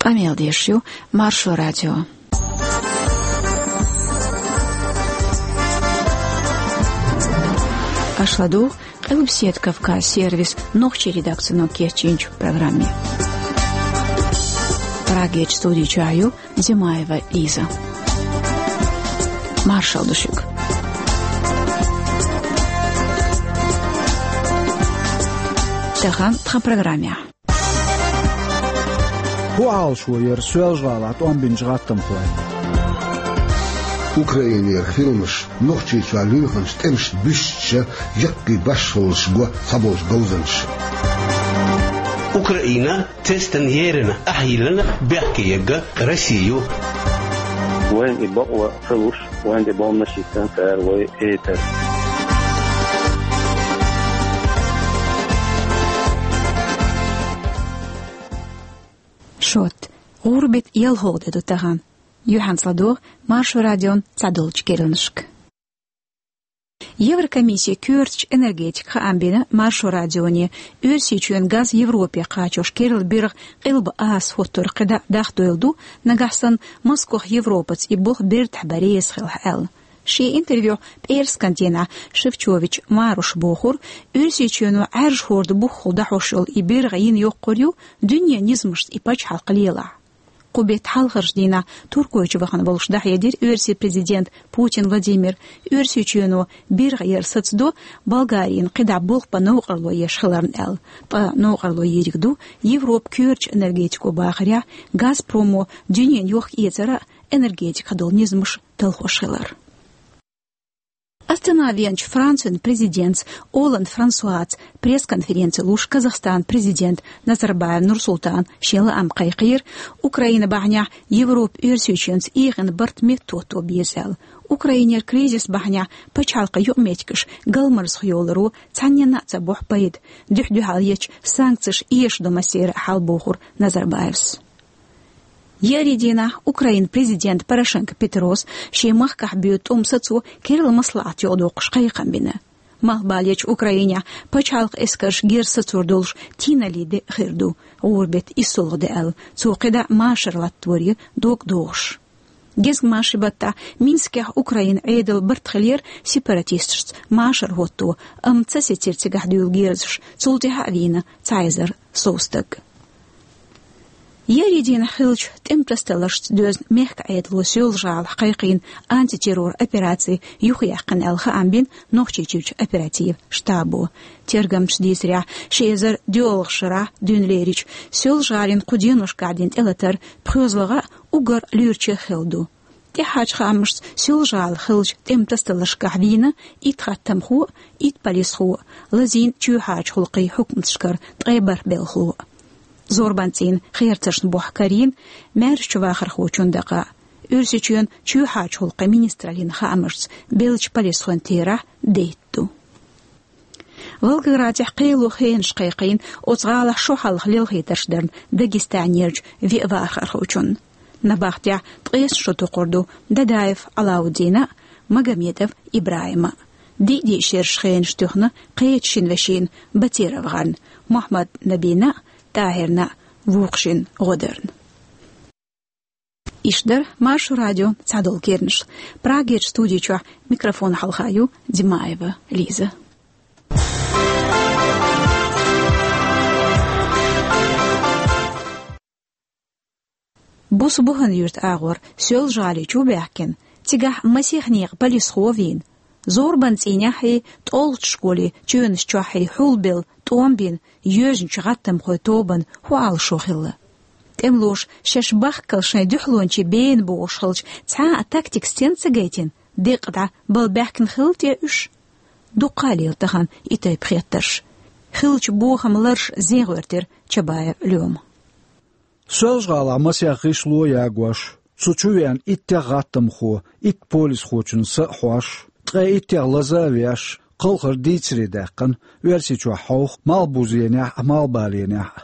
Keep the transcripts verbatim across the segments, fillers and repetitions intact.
Къамел деш ю Маршо радио. Аша ладугӀу Къилбаседа Кавказ сервисан нохчийн редакцино кечйинчу программе. Прагерчу студи чохь ю Димаева Лиза. Маршалла ду шуьга. Тахана тхан программехь. ХӀун Ӏалашо яра Соьлжа-ГӀалахь тӀом бинчу гӀаттамхойн? Украинера хиламаш Нохчийчохь луьйхинчу тӀемашна буьстича, яккхий башхаллаш го цхьаболчу говзанчаша. Украина тестан ерина ахьа йиллина бехке егга Россию. Вайн и бакъо ца луш, вайн де бомбанаш йиттан цара вай этар. Шот. ГӀуран беттан ялхолгӀа де ду тахана. Юьхьанца ладогӀа Маршо радион цхьадолчу керланашка. Еврокомиссин коьртачу энергетика хаам бина Маршо радионе, Оьрсийчоьнан газ Европе кхачош керла биргӀа Къилба Аса хӀоттор кхидӀа дахдойла ду, нагахь санна Москох Европаца и болх бертахь бан реза хилахь аьлла. Шен интервьюхь пӀераскан дийнахь Шефчович Маруша бохура, Оьрсийчоьно Ӏаьржа хӀорда бухахула дӀахьош йолу и биргӀа йина йоккхур ю дуьненан низамашца и пачхьалкх лелахь. Кху беттан хьалхарчу дийнахь Туркойчу вахана волуш дӀахьедира Оьрсийн президента Путин Владимира, Оьрсийчоьно биргӀа яр сацадо Болгарина кхидӀа болх бан новкъарло еш хиларна аьлла. Ткъа новкъарло йийриг ду Европан коьртачу энергетико бахарехь, Газпромо дуьненан йохка-эцар а, энергетикехь долу низамаш а талхош хилар. Астана веанчу Францин президентца Олланд Франсуаца пресс-конференци луш, Казахстанан президента Назарбаев Нурсултана шен лаам кхайкхийра, Украина бахьанехь Европа Оьрсийчоьнца эгӀина барт меттахӀотто беза аьлла. Украинера кризис бахьанехь пачхьалкхан юкъаметтигаш галмазах йоларо цхьанненна а ца бохьу пайда, дуьхь-дуьхьал ечу санкцеша эшадо массеран а хьал, бохура Назарбаевс. Еарин дийнахь Украинан президента Порошенко Петрос шен махкахь боьду тӀом сацо керла маслаӀат юкъадоккхуш кхайкхам бина. Малхбалечу Украинехь пачхьалкхан эскарша герз сацор долуш тийналлин де хир ду, гӀуран беттан иссолгӀа де аьлла, цо кхидӀа машар латтор ю дог дохуш. Гезгмашин баттахь Минскехь Украинан Ӏедалан барт хилира сепаратисташца машар хӀотто, амма ца сецира цигахь дуьйлу герзаш, цул тӀаьхьа а вийна цхьа эзар сов стаг. Еарин дийнахь хиллачу тӀеман тасадаларшца доьзна мехкан Ӏедало Соьлжа-ГӀалахь кхайкхийна антитеррор операци юхаяьккхина аьлла хаам бина Нохчийчуьрчу оперативан штабо. Тергамчаша дийцарехь, ши эзар доьалгӀачу шарахь дуьйна лерича Соьлжа-ГӀалин кху деношкахь дина тӀелатар пхоьалгӀа а, уггар луьрачех а хилла ду. ТӀаьхьарчу хаамашца Соьлжа-ГӀала хиллачу тӀеман тасадаларшкахь вийна итт гӀаттамхо а, итт полисхо а, лазийна чоьхьарчу гӀуллакхийн хьукматашкара ткъе бархӀ белхало а. Зорбанан цӀийнан херцаршна бухахь карийна маьршачу вахархочун дакъа а. Оьрсийчоьнан чоьхьарчу гӀуллакхийн министраллин хаамашца беллачу полисхойн терахь дейтта ду. Волгоградехь кхело хенаш кхайкхийна оцу гӀалахь шо хьалха лелхийтарш дарна Дагестанерчу виъ вахархочунна. Набахтехь ткъесна шо токхур ду Дадаев Алауддина а, Магомедов ИбрахӀима а. Диъ-диъ шераш хенаш туьхна кхечу шина вешина, Батиров ГӀарна, Мухьаммад-Набина а, ТӀахӀирна а, вукху шина ГӀодарна. Иштта дара Маршо радион цхьадолу керланаш. Прагерчу студи чохь микрофон хьалха ю Димаева Лиза. Буса Бухана-Юьртан агӀор Соьлжа-ГӀали чу баьхкина, цигахь масех некъан полисхо а вийна, зорбанан цӀийнехь а, тӀулгӀачу школийн чоьнаш чохь а хьулбелла тӀом бина йоьжначу гӀаттамхойн тобанна хӀун Ӏалашо хилла? ТӀемалоша шаьш бахкал шайн дуьхьалончийн бена бохуш хилча, цхьа а тактика стенна ца гайтина, декъа дӀа бала баьхкина хилла те уьш? Дуккха а лела тахана и тайпа хеттарш. Хиллачу бохаман лараш зен гӀоьртира Чабаев Лёма. Соьлжа-ГӀалахь масех гӀишло а ягош, цу чу веана иттех гӀаттамхо, итт полисхочун са а хьош, ткъе иттех лаза а веш, кхалхар дийцаре даьккхина, Оьрсийчохь хьовха Малхбузенехь а, Малхбаленехь а.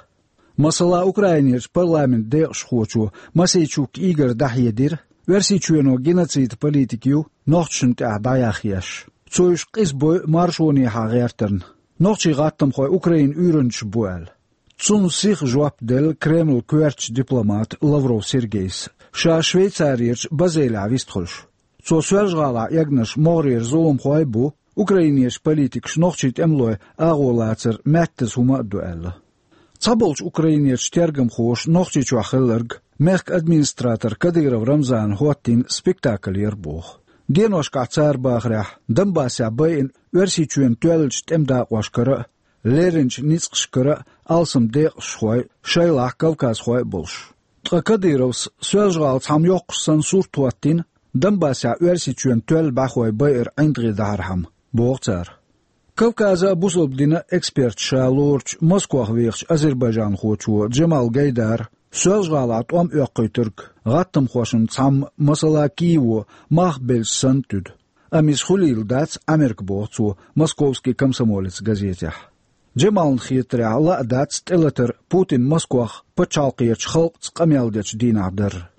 Масала, Украинерчу парламентан декъашхочо Мосейчук Игора дӀахьедира, Оьрсийчоьно геноцидан политика ю нохчашна тӀехь дӀаяхъеш. Цо уьш къиза бойу маршонехьа гӀертарна. Нохчийн гӀаттамхой Украинан уьйранчаш бу аьлла. Цунна сиха жоп делла Кремлан коьртачу дипломата Лавров Сергейс, ша Швейцарерчу Базелехь вистхуьлуш. Цо Соьлжа-ГӀалахь эгнарш могӀарера зуламхой а бу, украинерчу политикаша нохчийн тӀемалойн агӀо лацар маьттаза хӀума а ду аьлла. Цхьаболчу украинерчу тергамхоша Нохчийчохь хилларг, мехкан администратор Кадыров Рамзана хӀоттийна спектакль яра боху. Деношкахь цара бахарехь, Донбассехь байина Оьрсийчоьнан тоьллачу тӀеман дакъошкара а, лерринчу ницкъашкара а алсам декъашхой, шайлахь кавказхой а болуш. Ткъа Кадыровс Соьлжа-ГӀала цхьамма йоккхуш санна сурт хӀоттийна, Донбассехь Оьрсийчоьнан тоьлла бӀаьхой байар ӀиндагӀе дахьархьама, боху цара. Кавказан а, бусалба динан а эксперт ша лоручу Москох вехачу азербайджанхочо Джамал Гайдара Соьлжа-ГӀалахь тӀом оьккхуьйтург гӀаттамхошна цхьамма, масала, Киево мах белча санна туьду. Амма иза хуьлийла дац Ӏамерка, боху цо «Московский комсомолец» газетехь. Джамална хетарехь, лаа дац тӀелатар Путина Москох пачхьалкхерчу халкъаца къамел дечу дийнахь дарра.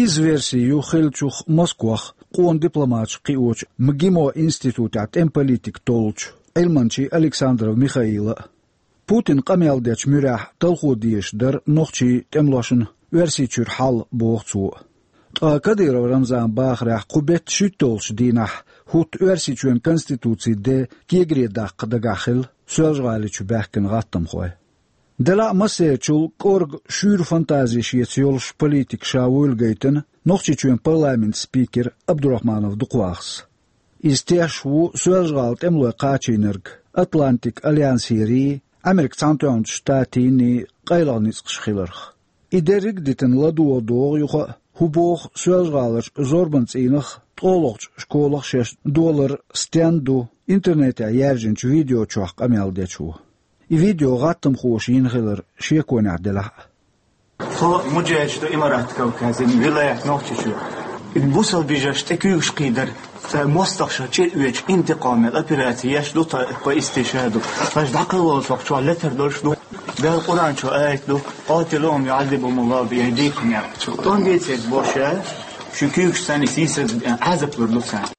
Изза верси ю хиллачух Москох къона дипломаташ кхиочу МГИМО институтехь тӀеман политика толлучу Ӏилманчи Александров Михаила а. Путина къамел дечу муьрехь талхо дезаш дара нохчийн тӀемалошна Оьрсийчуьра хьал, боху цо. Ткъа Кадыров Рамзана бахарехь, кху беттан шуьйтталгӀачу дийнахь хӀутту Оьрсийчоьнан Конституцин де кегаре даккха дагахь хилла Соьлжа-ГӀалин чу баьхкина гӀаттамхой. Делахь а массерачул кӀорга, шуьйра фантази шеца йолуш политик ша вуйла гайтина Нохчийчоьнан парламентан спикер Абдурахманов Дукхвахас. Иза тешаш ву Соьлжа-ГӀала тӀемалой кхачийнарг Атлантикан альянсерий, Ӏамеркан Цхьаьнатоьхначу Штатийний къайлаха ницкъаш хиларх. И дерриг а дитина, ладогӀа догӀу юха а, хӀун боху Соьлжа-ГӀаларчу зорбанан цӀийнах а, ткъолгӀачу школах а шаьш долар стенна ду интернетехь яьржинчу видео чохь къамел дечо. И видео гӀаттамхоша йина хилар шеконехь делахь а. Тхо муджахӀидаш ду Имарат Кавказан вилаят Нохчийчоь. Бусалба бежарш тӀе куьйгаш кхийдар, цара мостагӀаша чӀир оьцуш интикъаман операци еш ду тхо, тхо истиша ду. Хаза дӀакхаллалц чохь летар долуш ду. Дала Къуръан чу аят ду: «قاتلوهم يعذبهم الله بأيديكم», яхаш. ТӀом бийцийта боху ша, шун куьйгаш санна сийсаз Ӏазап лур ду царна.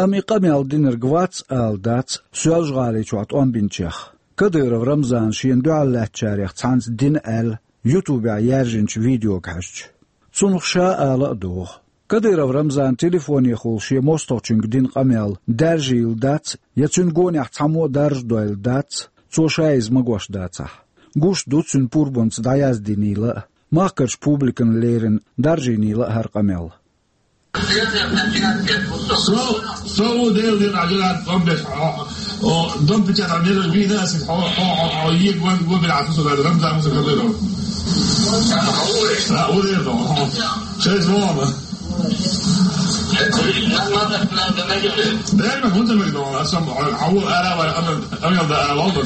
Амма и къамел динарг вац ала дац Соьлжа-ГӀалин чохь тӀом бинчех. Кадыров Рамзана шена дуьхьал лаьттачарех цхьаьнца дина аьлла, ютубехь яьржинчу видеога хьаьжча. Цунах ша ала а догӀу. Кадыров Рамзана телефонехула шен мостагӀчуьнга дина къамел даржийла дац, я цуьнан гонехь цхьаммо а даржадойла дац, цо ша иза магош дацахь. Гуш ду цуьнан пурбанца дӀаяздинийла а, махкарчу публикана лерина даржийнийла а хӀара къамел. Со, со ву Делан дин Ӏа жигаьрда тӀом беш, хьо, хьо, дом печатать мера вийна аса, хьо, хьо, хьо, хьо, егван, гван бер Ӏа, со, Рамзан, со, Кадыров. А, ву Делан, хьо. Шайз вона. Дерма, хӀунда мегадо, аса, хьо, хьо, ара, ара, ара, ара, ара, ара, ара, ара,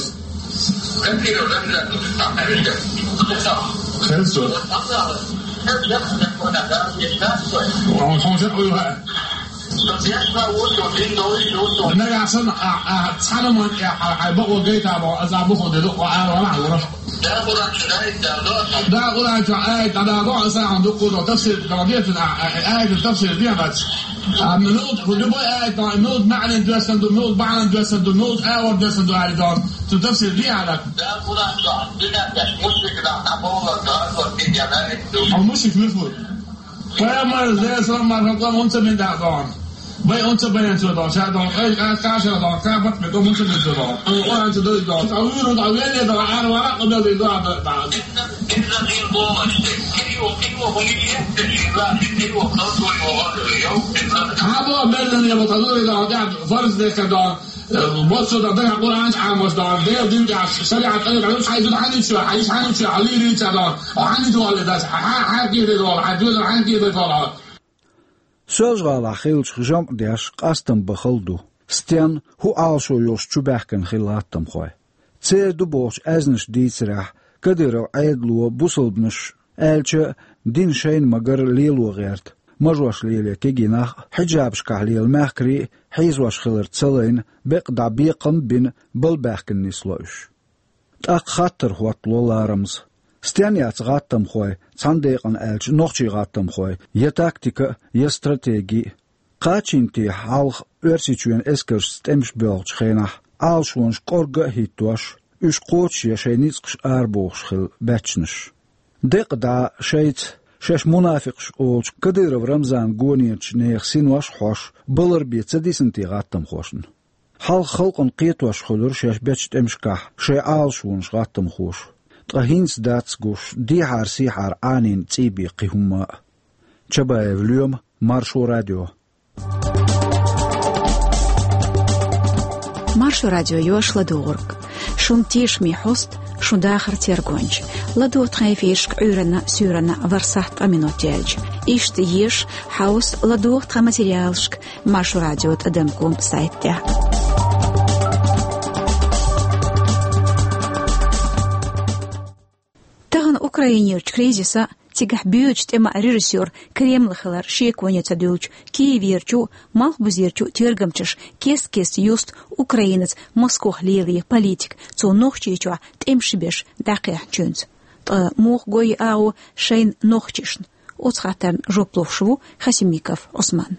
Хезчо. Хьо, хьо, хьо, хьо. Нагахь санна, а, а, цхьана ман, а, а, а, бакъо гайта бо, аз а буху де, а, а, а, а, а. Да, Къуръан чу аят да, да, да, Къуръан чу аят да, да, да, аз а хьан дукку до, тафсир, да, да, а, а, а, аят тафсир, да, да. А, минут, любой аят, да, минут маъна доьссан ду, минут маъна доьссан ду, минут а, вот доьссан ду, аят, да. Цу тафсир, да, да. Да, Къуръан чу, дуьнен тӀехь мушрик да, а, бовла, да, вот, да, да. А мушрик муьлха ву? Пайхамар, Делан салам марха, къам унца мин да дон. Бай унца баян цо дон, ша дон, ай, ай, каша дон, ка бат ме дон, унца мин цо дон. Ай, Къуръан цо дой дон. Ца виру да веле да, ар вара къабел да, да, да. Хабо беллен я вот азури да, да, фарз де ка дон. Э, вот сюда, да, Къуръан чу Ӏамош дан, Делан дин чу, шариат, шариат, хьайзу хьаничу, хьайзу хьаничу, Али рича дан, хьаничу валли дас, хьа, хьа, хьа, гири вал, хьа, дуьза, хьа, гири вал. Соьлжа-ГӀалахь хиллачух жамӀ деш къастам бан хала ду. Стен, хӀун Ӏалашо йолуш чу баьхкина хилла гӀаттамхой. Церан ду бохучу аьзнаш дийцарехь, Кадыров Ӏедало бусалбанаш, аьлча, дин шайна ма-гарра лело гӀерта, мажош леле кегий нах а, хьиджабашкахь лела мехкарий а хьийзош хиларца ца лайна, бекъа дӀа бекхам а бина, бала баьхкина нисло уьш. ТӀаккха хаттар хӀоттало ларамаза: стен яц гӀаттамхой, цхьана декъана аьлча, нохчийн гӀаттамхой, я тактика а, я стратеги а? Кхачийна техьа хьалха Оьрсийчоьнан эскаршца тӀемаш боьлхучу хенахь, Ӏалашонаш кӀорга а хӀиттош, уьш кхочушъян шайн ницкъаш арабохуш хилла баьччанаш. Декъа дӀа шайца, шаьш мунафикъаш олучу Кадыров Рамзанан гонерчу нехан синош а хьош, балар бен ца дисина те гӀаттамхошна? Хьалха халкъана кхетош хуьлура шаьш бечу тӀемашкахь шайн Ӏалашонаш гӀаттамхоша. Ткъа хӀинца дац гуш, дехьара-сехьара Ӏанийна цӀий бен кхин хӀумма а. Чабаев Лоьма, Маршо радио. Маршо радио йош ладугӀург. Шун тешаме хьост, шун дахар тергонча. ЛадугӀа тхан эфирашка Ӏуьйранна, суьйранна ворхӀ сахьт ткъа минот яьлча. Иштта еша, хьовса, ладугӀа тхан материалашка Маршо радио тӀадам ком сайта тӀехь. Тахана Украинерчу кризиса, цигахь боьдучу тӀеман режиссёр Кремль хилар шеконе ца дуьллучу Киеверчу, малхбузерчу тергамчаша кест-кеста юсту Украинаца Москох лелае политика, цо Нохчийчохь тӀемаш беш дӀакхехьначуьнца. Ткъа муха го и агӀо шайна нохчашна? Оцу хаттарна жоп луш ву Хасимиков Ӏусман.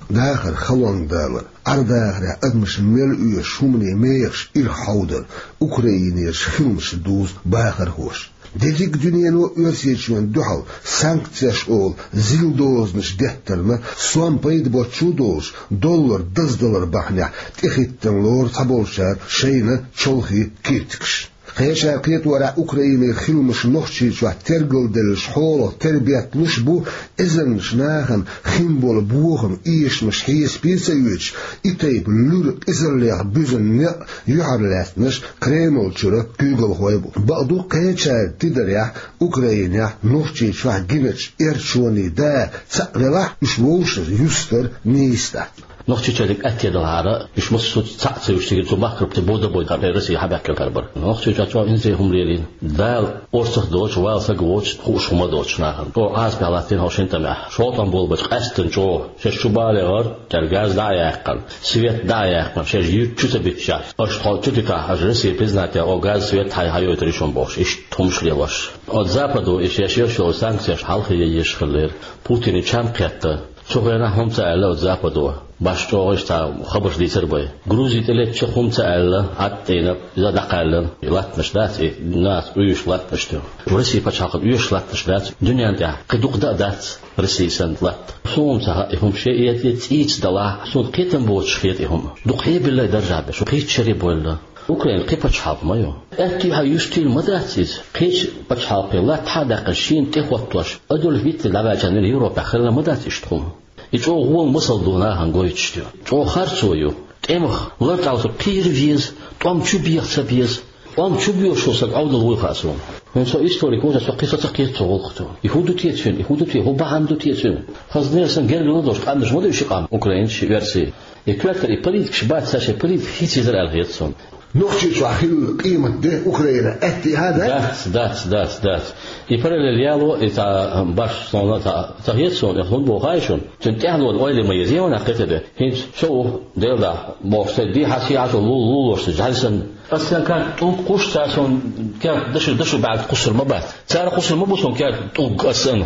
Дахар халонга далар, Ӏар-дахарехь адамаш мел оьшуш хӀумане мехаш ирхъа хьовдар, Украинерчу хиламаша дузу бахархоша. Дерриг дуьнено Оьрсийчоьнна дуьхьал санкцеш олу зил дозанаш деттарна, сом пайда боцчу а долуш, доллар даздалар бахьанехь тӀехӀиттина лору цхьаболчара шайна чолхе киртигаш. Кхечара кхеторехь, Украинера хиламаш Нохчийчохь тергалделлачу хьолах тера бетталуш бу, эзарнаш нахана хин болу бохам, эшамаш хьесапе ца оьцуш, и тайпа луьра къизаллех буьзна некъ юьхьарлаьцнарш Кремль чуьра куьйгалхой бу. Бакъду, кхечара тидарехь, Украинехь, Нохчийчохь гиначу эрчонийн да цхьаъ велахь, уьш вовшашна юстар нийса дац. Нохчийчоьниг аьтто далахьара, уьш массо а цхьаъ ца юьсу цигара цу махкарпте бода-бойда Россия хьабаьхкина карабар. Нохчийчохь чӀогӀа инзаре хӀума лелийна. Дала орцах доцуш, вала сага воцуш, хууш хӀума доцуш нахана. ЧӀогӀа Ӏазапехь латтийна хьо шина тӀамехь. ШолгӀа тӀом болу бац, къаьсттина чӀогӀа. Шаьш чу бала яхара, цара газ дӀа а яьккхина, свет дӀа а яьккхина, шаьш юьрта чу ца биттича, аша тхо чу дитахь, аша Россия признать ян, о газ, свет хьай хьайойтур ю шуна бохуш, иштта хӀумаш лелош. Оцу Западо и шаьш йолуш йолу санкцеш хьалха ян езаш хиллера. Путине чам кхетта. Цу хенахь хӀума ца аьлла оцу Западо, баш чӀогӀа иштта цхьа хабарш дийцар бай. Грузи тӀелеттача хӀума ца аьлла, Ӏад тӀейна иза дӀакхаьллина. И латтанаш дац, и нахаца оьшуш латтанаш ду. Россия пачхьалкхана оьшуш латтанаш дац, дуьненна тӀехь кхин дукха дан а дац Россия санна латта. Суна ца хаьа, и хӀума шен эца цӀийца далахь, суна кхетам боцуш хета и хӀума. Дукха хьебилла и даржехь бен, шу кхеччаре бойла. Украина кхин пачхьалкх ма ю. Аьтту хьан юьстийла ма дац иза. Кхечу пачхьалкхе латта хьа а даьккхина, шена тӀехӀоттош, Адольф Гитлер дӀаваьлча Европехь хилла ма дац иштта хӀума. И чӀогӀа гӀола масал ду нахана гойтуш ду. ЧӀогӀа харцо ю. ТӀемах лартӀехь кхера веза, тӀом чу беха ца беза. ТӀом чу боьхуш волу стаг Ӏовдал вуй хаьа суна. ХӀинца со историк ву, со кхин со ца кхета цу гӀуллакхах. И хӀун ду те цуьнан, и хӀун ду те, хӀун бахьана ду те цуьнан? Хаза нерсанна гергарло долуш къаьмнаш ма ду ши къам, украинцаш, оьрсий. И коьртара и политикаш бац, цара шайн политика хийцаезара аьлла хета суна. Нохчийчохь хилла къемат де Украина аьттехьа дац? Дац, дац, дац, дац. И параллель яло, и цхьа баш суна ца, ца хета суна, и хӀунда боху хаьий шуна? Цуьнан тӀаьхьалонан ойла ма еза, ма нах кхета бен. ХӀинца со ву, Делан дуьхьа, бохуш, сайн дехьа-сехьа лула лулош, жӀаьлсан. Ас сан кара тӀулг кхуссуш, цара суна кара дашо, дашо баьлла кхуссур ма бац. Цара кхуссур ма бу суна кара тӀулг ас санна.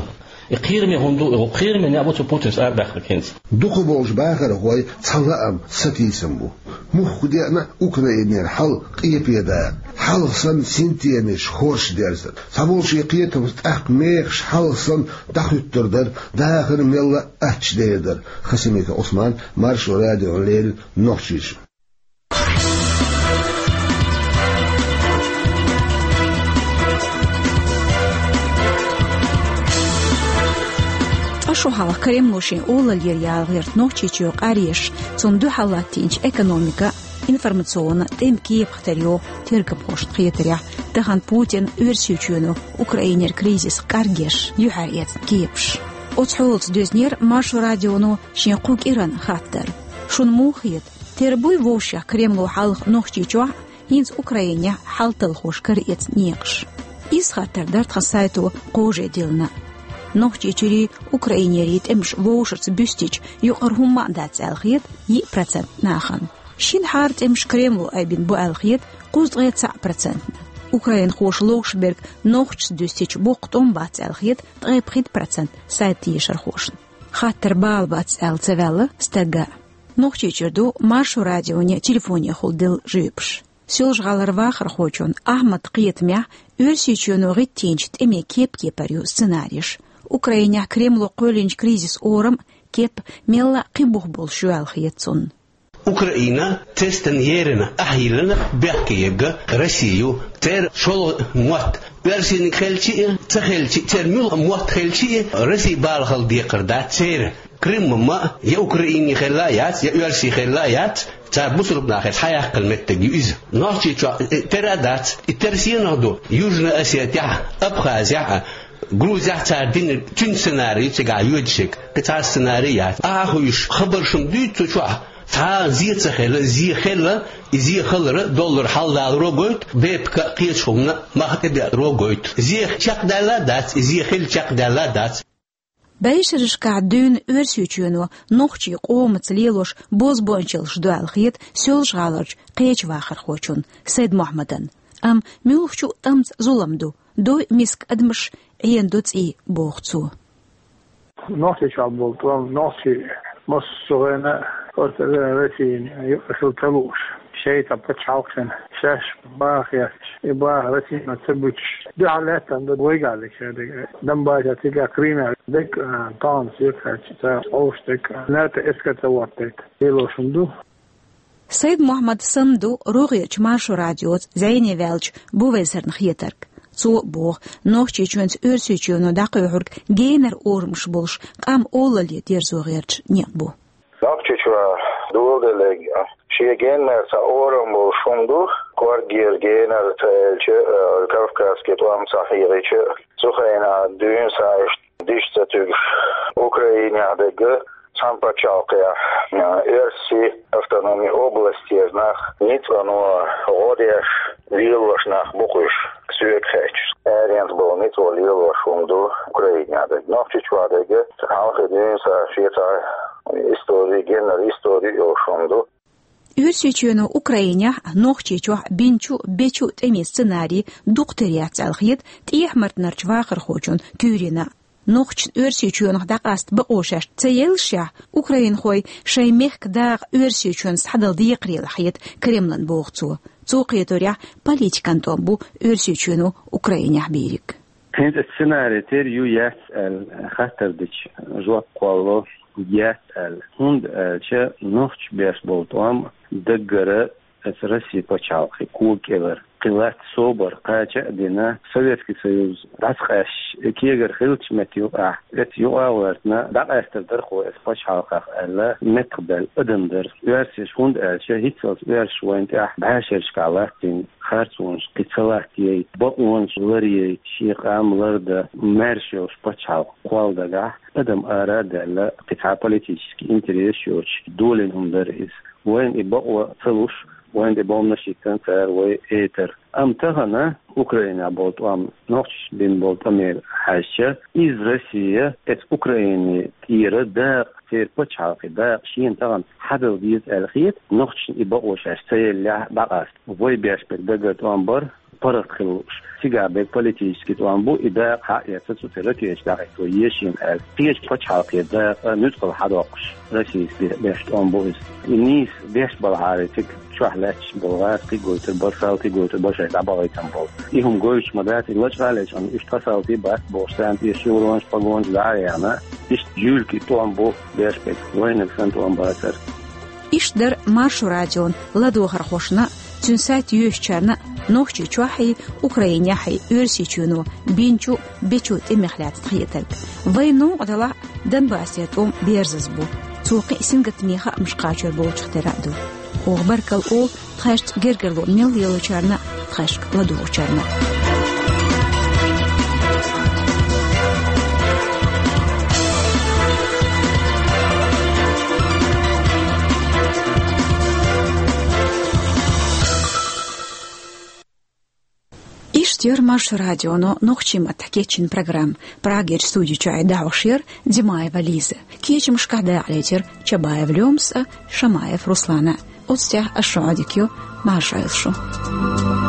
И кхераме хӀума ду, и кхераме некъ бу цу Путинца арабаьккхинарг хӀинца. Дукха болчу бахархой цхьа лаам, сатийсам бу. Мухха деана Украинера хьал къепе дара, хьалха санна синтемаш хорша дерзар. Цхьаболчийн кхетамца тӀаккха мехаш хьалха санна дӀахуьттур дара, дахар мелла а аттачу дер дара. Хасимиков Ӏусман, Маршо радиона леррина, Нохчийчоь. Ткъа шо хьалха Кремло шен олаллера яла гӀерта Нохчийчоь къаръеш, цунна дуьхьал латтийначу экономика, информационан, тӀеман кепах тера йогӀу тергамхошна хетарехь, тахана Путин, Оьрсийчоьно Украинера кризис кӀаргъеш юьхьар эцна кепаш. Оцу хьолаца доьзнера Маршо радионо шен кху кӀиран хаттар. Шуна муха хета, тера буй вовшех Кремло хьалха Нохчийчохь, хӀинца Украинехь хьал талхош кара эцна некъаш? Иза хаттар дара тхан сайто кхоже диллина. Нохчийчуьрий, Украинерий тӀемаш вовшашца буьстича, юкъара хӀумма а дац аьлла хета йиъ процент нахана. Шина хьара тӀемаш Кремло айбина бу аьлла хета кхузткъе цхьаъ процентна. Украинхоша ловш берг нохчашца дуьстича, боккха тӀом бац аьлла хета ткъе пхийтта процент сайта тешархошна. Хаттар бала бац аьлла ца ваьлла стагга. Нохчийчуьра ду Маршо радионе телефонехула делла жоьпаш. Соьлжа-ГӀалара вахархочун Ахьмадан кхетамехь, Оьрсийчоьно гӀиттийначу тӀеман кеп-кепара ю сценареш. Украинехь Кремло кхоьллинчу кризисан орам а, кеп а мелла а кхин бух болуш ю аьлла хета цунна. Украина тестан ерина ахьа йиллина бехке ерг Росси ю, церан шолгӀа мотт, оьрсийниг хилча а, ца хилча а, церан муьлхха мотт хилча а, Росси бала хила декхар дац церан. Крым ма я Украинин хилла а яц, я оьрсийн хилла а яц, цара бусалба нахаца хьаяккхина меттиг ю иза. Нохчийчохь, э, тера а дац, и тера сенах ду, Южная Осетия, Абхазия, Грузия цара динарг, цуьнан сценарий ю цигахь йоьдуш ерг, кхин цхьа сценарий яц. Ахьа хуьйш хабарш ма дуьйцу цу чохь, цхьа а зе ца хилла, зе хилла, и зе хилар доллар хьалдаларо гойту, БПК кхечу хӀуманна мах тӀедеаро гойту. Зе чекхдаьлла а дац, и зе хилла чекхдаьлла а дац. БӀешерашкахь дуьйна Оьрсийчоьно нохчийн къомаца лелош бозбуунчаллаш ду аьлла хета Соьлжа-ГӀаларчу кхечу вахархочунна Сайд-Мохьмадан. Амма муьлххачу а тӀамца зулам ду, дой миска адамаш, Ӏена ду цӀий, боху цо. Нохчийчохь болу тӀом, нохчий массо а гӀайна, просто Россин юкъа хила ца лууш, шайта пачхьалкх хилла, шаьш баха хетташ, и баха Россино ца буьтуш, дуьхьал лаьттина ду вайгахь дерг. Донбассехь, цигахь Крымехь дерг, а, тахана сехьа хилча, цара хьовш дерг, а, НАТО эскар ца хӀоттийта лелош хӀума ду. Сайд-Мохьмад санна ду рогӀерчу Маршо радиоца зӀене ваьллачу Бувайсарна хетарг. Цо а боху, Нохчийчоьнца Оьрсийчоьно дӀакхоьхьург генара орамаш болуш, къам олалле дерзо гӀерташ некъ бу. Нохчийчохь доладелларг шен генара цхьа орам болуш хӀума ду, кӀорггера генара ца аьлча, а, кавказский тӀом ца хьегӀича, цу хенахь дуьйна схьа иштта диш ца туьгуш, Украинехь дерг, цхьана пачхьалкхехь, а, оьрсийн автономин областера нах ницкъано гӀо деш лелош нах бу-кх уьш, соьга хаьттича. Аренца болу ницкъо лелош хӀума ду Украинехь дерг. Нохчийчохь дерг хьалхе дуьйна схьа шен цхьа истори, генара истори йолуш хӀума ду. Оьрсийчоьно Украинехь а, Нохчийчохь а бинчу а, бечу а тӀемийн сценарий дукха тера яц аьлла хета тӀехьа-мартанарчу вахархочунна Тюрина. Нохчашна Оьрсийчоьнах дӀакъаста бакъо шаьш ца еллашехь, украинхой шайн мехкан дакъа Оьрсийчоьнца схьадала декхарийлахь хета Кремлана, боху цо. Цо кхеторехь, политикан тӀом бу Оьрсийчоьно Украинехь бийриг. ХӀинца сценарий тера ю-яц аьлла хаттар дича, жоп кхолло: яц аьлла. ХӀунда аьлча нохчаша беш болу тӀом даггара аса Россин пачхьалкхе кога кӀелара. Кхин латта собар кхача а дина, Советский Союз дӀасакъаьсташ, кегара хиллачу метта юкъахь, оцу юкъа а гӀоьртина, дӀакъаьстар дара-кх аса пачхьалкхах аьлла, меттахбаьлла адам дара. Оьрсаша, хӀунда аьлча хӀинццалц оьрсаша вайна тӀехь бӀешерашкахь латтийна харцонаш кхин ца латтаяйта, бакъонаш ларъяйта, шен къам лардан маьрша йолуш пачхьалкх кхолла дагахь, адам ара а даьлла, кхин цхьа политический интерес йоцуш долийна хӀума дара иза. Вайна и бакъо ца луш, вайна тӀе бомбанаш йиттина цара вай этара. Амма тахана Украинехь болу тӀом, нохчаша бина болу тӀамера хьаьжча, иза Россия эцу Украинин тӀера дакъа, церан пачхьалкхе дакъа шена тахана хьадала деза аьлла хета, нохчашна и бакъо шаьш ца еллехь дӀакъаста. Вай беш берг даггара тӀом бара, паргӀат хила лууш. Цигахь берг политический тӀом бу, и дакъа хьаэца цу тӀе ракеташ дӀахӀитто еза шена аьлла. Кхечу пачхьалкхера дакъа нуьцкъала хьадоккхуш, Россис бе-, беш тӀом бу иза. И нийса беш балахьара, цига чохь лаьтташ болу гӀазкхий гойтур бара, салтий гойтур бара шайн дӀабахийтина болу. И хӀума гойтуш ма дац, и лачкъа а лечкъина, уьш тхан салтий бац бохуш, царна тӀе шевронаш, погонаш дӀа а яьхна, иштта жуьлка и тӀом бу беш берг, вайнарг санна тӀом бацара. Иштта дара Маршо радион ладогӀархошна а, цуьнан сайт йоьшучарна а Нохчийчохьий, Украинехьий Оьрсийчоьно бинчу а, бечу а тӀемех лаьцна хетарг. Вайн новкъа делахь а, Донбассера тӀом берзаза бу. Цо кхин а сингаттаме хаамаш кхачор болчух тера а ду. Оха баркалла олу тхаьшца гергарло мел лелочарна а, тхаьшка ладугӀучарна а. Иштта яра Маршо радионо нохчийн маттахь кечйина программа. Прагерчу студи чуьра дӀахьош яра Димаева Лиза. Кечамашкахь дакъалецира Чабаев Лёмас а, Шамаев Руслана а. Оцу тӀехь ас шуьга Ӏодика йо, марша Ӏойла шу.